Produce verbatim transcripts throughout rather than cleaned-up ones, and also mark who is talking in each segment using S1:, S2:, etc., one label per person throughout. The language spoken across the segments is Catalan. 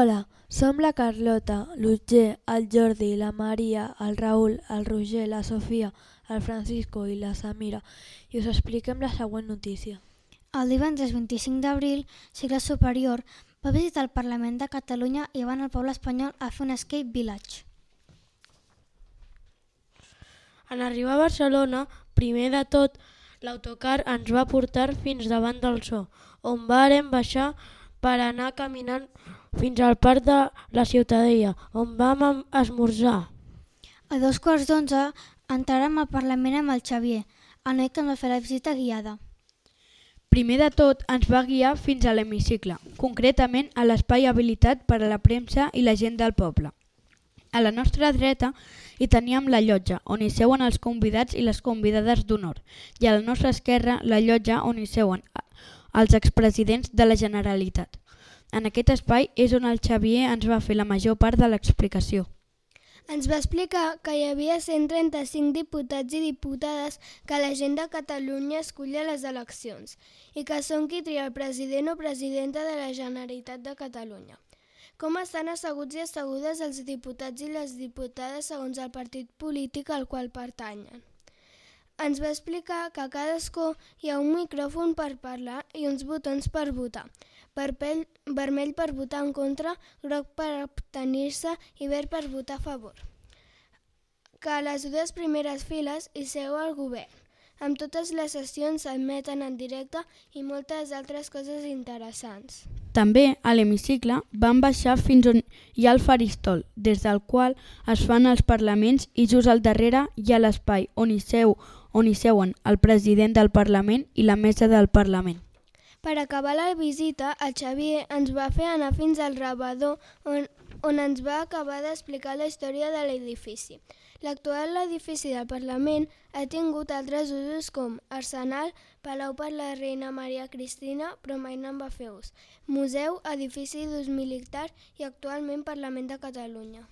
S1: Hola, som la Carlota, l'Otger, el Jordi, la Maria, el Raül, el Roger, la Sofia, el Francisco i la Samira i us expliquem la següent notícia.
S2: El divendres vint-i-cinc d'abril, Cicle Superior va visitar el Parlament de Catalunya i van al poble espanyol a fer un escape village.
S3: En arribar a Barcelona, primer de tot, l'autocar ens va portar fins davant del Zoo, on vàrem baixar per anar caminant fins al parc de la Ciutadella, on vam esmorzar.
S2: A dos quarts d'onze entràrem al Parlament amb el Xavier, el noi que ens va fer la visita guiada.
S4: Primer de tot ens va guiar fins a l'hemicicle, concretament a l'espai habilitat per a la premsa i la gent del poble. A la nostra dreta hi teníem la llotja, on hi seuen els convidats i les convidades d'honor, i a la nostra esquerra la llotja on hi seuen els expresidents de la Generalitat. En aquest espai és on el Xavier ens va fer la major part de l'explicació.
S5: Ens va explicar que hi havia cent trenta-cinc diputats i diputades que la gent de Catalunya escull a les eleccions i que són qui tria el president o presidenta de la Generalitat de Catalunya. Com estan asseguts i assegudes els diputats i les diputades segons el partit polític al qual pertanyen. Ens va explicar que a cadascú hi ha un micròfon per parlar i uns botons per votar, vermell per votar en contra, groc per abstenir-se i verd per votar a favor. Que a les dues primeres files hi seu el govern. Amb totes les sessions s'emeten en directe i moltes altres coses interessants.
S4: També a l'hemicicle vam baixar fins on hi ha el faristol, des del qual es fan els parlaments i just al darrere hi ha l'espai on hi seu on hi seuen el president del Parlament i la mesa del Parlament.
S5: Per acabar la visita, el Xavier ens va fer anar fins al rebedor on, on ens va acabar d'explicar la història de l'edifici. L'actual edifici del Parlament ha tingut altres usos com arsenal, palau per la reina Maria Cristina, però mai no en va fer ús, museu, edifici d'ús militar i actualment Parlament de Catalunya.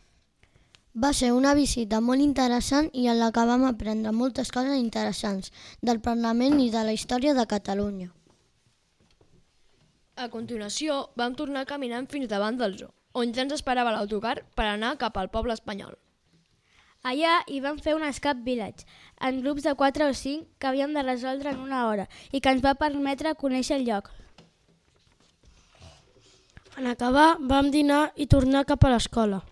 S6: Va ser una visita molt interessant i en la que vam aprendre moltes coses interessants del Parlament i de la història de Catalunya.
S7: A continuació, vam tornar caminant fins davant del Zoo, on ja ens esperava l'autocar per anar cap al poble espanyol.
S8: Allà hi vam fer un escape village, en grups de quatre o cinc que havíem de resoldre en una hora i que ens va permetre conèixer el lloc.
S3: En acabar, vam dinar i tornar cap a l'escola.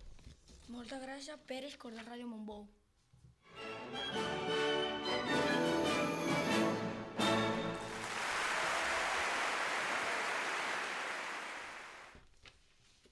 S9: Moltes gràcies per escoltar Ràdio Montbou.